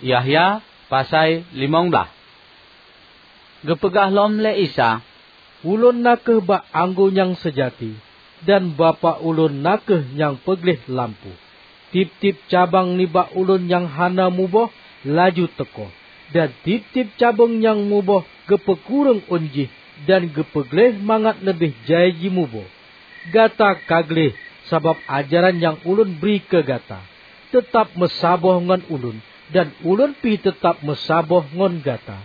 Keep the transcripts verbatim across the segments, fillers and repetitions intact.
Yahya pasai limong blaih. Geupeugah lom lé Isa, "Ulôn na kheueh bak anggô nyang seujati, dan Bapak Ulôn na kheueh nyang peugleh lampôh. Tieb-tieb cabang nibak Ulôn nyang hana muboh, laju teukoh, dan tieb-tieb cabeueng nyang muboh geupeukureueng ôn jih dan geupeugleh mangat leubeh jai jimuboh. Gata ka gleh sabab ajaran nyang Ulôn bri keu gata. Teutab meusaboh ngon Ulôn, dan Ulôn pih teutab meusaboh ngon gata.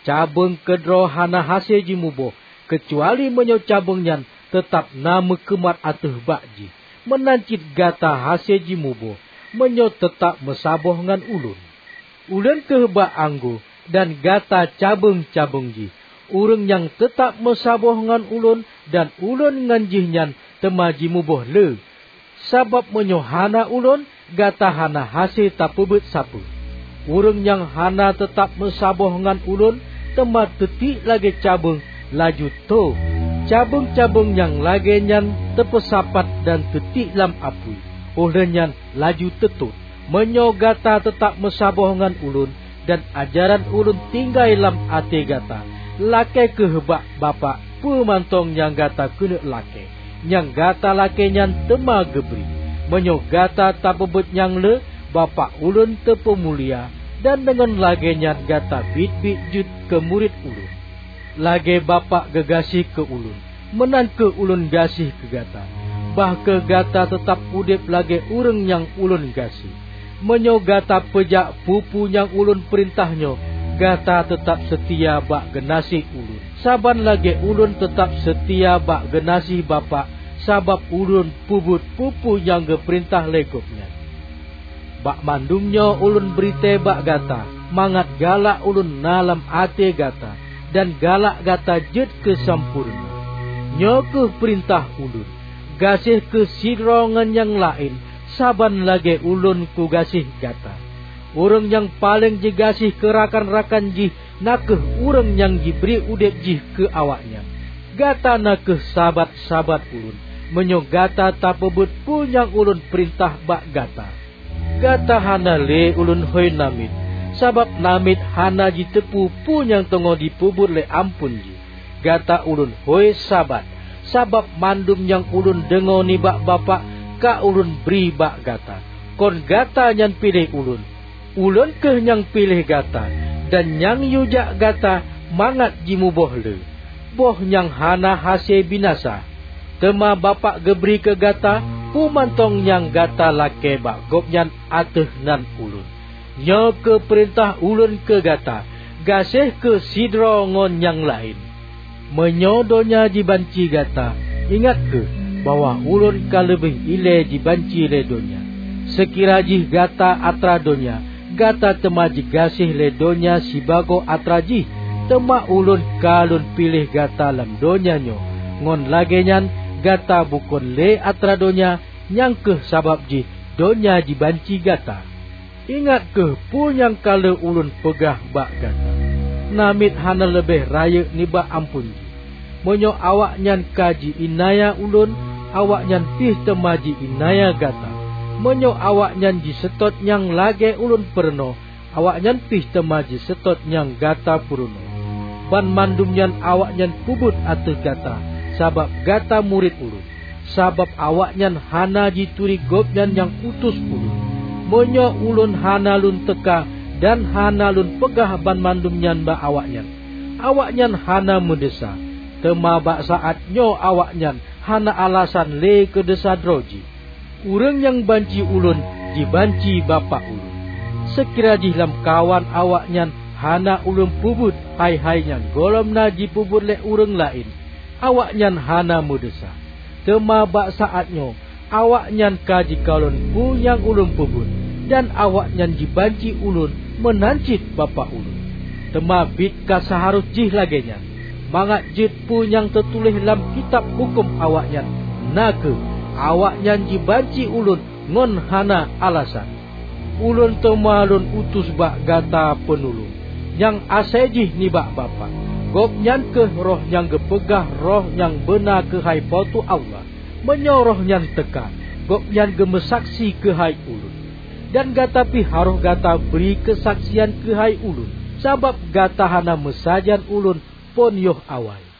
Cabeueng keudroe hana hase jimuboh, keucuali meunyoe cabeueng nyan teutab na meukeumat ateueh bak jih. Meunan cit gata hase jimuboh, meunyoe teutab meusaboh ngon Ulôn. Ulôn kheueh bak anggô, dan gata cabeueng-cabeueng jih. Ureuëng nyang teutab meusaboh ngon Ulôn dan Ulôn ngon jihnyan teuma jimuboh le. Sabab meunyoe hana Ulôn, gata hana hase tapeubeuet sapeue. Ureuëng nyang hana teutab meusaboh ngon Ulôn teuma teutiek lagée cabeueng, laju tho. Cabeueng-cabeueng nyang lagée nyan teupeusapat dan teutiek lam apui, óh lheueh nyan laju teutot. Meunyoe gata teutab meusaboh ngon Ulôn, dan ajaran Ulôn tinggai lam até gata, lakée kheueh bak Bapak peue mantong nyang gata keuneuk lakée. Nyang gata lakée nyan teuma geubri. Meunyoe gata tapeubeuet nyang le, Bapak Ulôn teupeumulia, dan deungon lagée nyan gata biet-biet jeuet keu murit Ulôn. Lagée Bapak geugaséh keu Ulôn, meunan kheueh Ulôn gaséh keu gata. Bah kheueh gata teutab udeb lagée ureuëng nyang Ulôn gaséh. Meunyoe gata peujak peue-peue nyang Ulôn peurintah nyoe, gata teutab seutia bak geunaséh Ulôn. Saban lagée Ulôn teutab seutia bak geunaséh Bapak, sabab Ulôn peubuet peue-peue nyang geupeurintah lé Gobnyan. Bak mandum nyoe Ulôn bri tée bak gata, mangat galak Ulôn na lam até gata, dan galak gata jeuet keu sampoereuna. Nyoe kheueh peurintah Ulôn: gaséh kheueh sidroe ngon nyang laén, saban lagée Ulôn kugaséh gata. Ureuëng nyang paleng jigaséh keu rakan-rakan jih na kheueh ureuëng nyang jibri udeb jih keu awaknyan. Gata na kheueh sabat-sabat Ulôn, meunyoe gata tapeubeuet peue nyang Ulôn peurintah bak gata. Gata hana lé Ulôn hôi namiet, sabab namiet hana jiteupeu peue nyang teungoh jipeubuet lé amphon jih. Gata Ulôn hôi sabat, sabab mandum nyang Ulôn deungoe nibak Bapak ka Ulôn bri bak gata. Kon gata nyang piléh Ulôn, Ulôn kheueh nyang piléh gata, dan nyang yue jak gata mangat jimuboh le. Boh nyang hana hase binasa. Teuma Bapak geubri keu gata peue mantong nyang gata lakée bak Gobnyan ateueh nan Ulôn. Nyoe kheueh peurintah Ulôn keu gata: gaséh kheueh sidroe ngon nyang laén. Meunyoe donya jibanci gata, ingat kheueh bahwa Ulôn ka leubeh ilée jibanci lé donya. Seukira jih gata atra donya, gata teuma jigaséh lé donya sibagoe atra jih. Teuma Ulôn ka Lôn piléh gata lam donya nyoe, ngon lagée nyan gata bukon lé atra donya, nyang kheueh sabab jih donya jibanci gata. Ingat kheueh peue nyang ka lheueh Ulôn peugah bak gata: Namiet hana leubeh rayeuk nibak amphon jih. Meunyoe awaknyan ka ji-iénanya Ulôn, awaknyan pih teuma ji-iénanya gata. Meunyoe awaknyan jiseutôt nyang lagée Ulôn peurunoe, awaknyan pih teuma jiseutôt nyang gata peurunoe. Banmandum nyan awaknyan peubuet ateueh gata, sabab gata murit Ulôn. Sabab awaknyan hana jituri Gobnyan nyang utus Ulôn. Meunyoe Ulôn hana Lôn teuka dan hana Lôn peugah banmandum nyan bak awaknyan, awaknyan hana meudesya. Teuma bak saát nyoe awaknyan hana alasan lé keu desya droe jih. Ureuëng nyang banci Ulôn, jibanci Bapak Ulôn. Seukira jih lamkawan awaknyan hana Ulôn peubuet hai-hai nyang gohlom na jipeubuet lé ureuëng laén, awaknyan hana meudesya. Teuma bak saát nyoe awaknyan ka jikalon peue nyang Ulôn peubuet, dan awaknyan jibanci Ulôn meunan cit Bapak Ulôn. Teuma biet ka seuharôh jih lagée nyan, mangat jeuet peue nyang teutuléh lam kitab huköm awaknyan, na kheueh, awaknyan jibanci Ulôn ngon hana alasan. Ulôn teuma Lôn utus bak gata Peunulông, nyang asai jih nibak Bapak. Gobnyan kheueh Roh nyang geupeugah Roh nyang beuna keuhai Po teu Allah. Meunyoe Roh nyan teuka, Gobnyan geumeusaksi keuhai Ulôn. Dan gata pih harôh gata bri keusaksian keuhai Ulôn, sabab gata hana meusajan Ulôn phon yoh awai.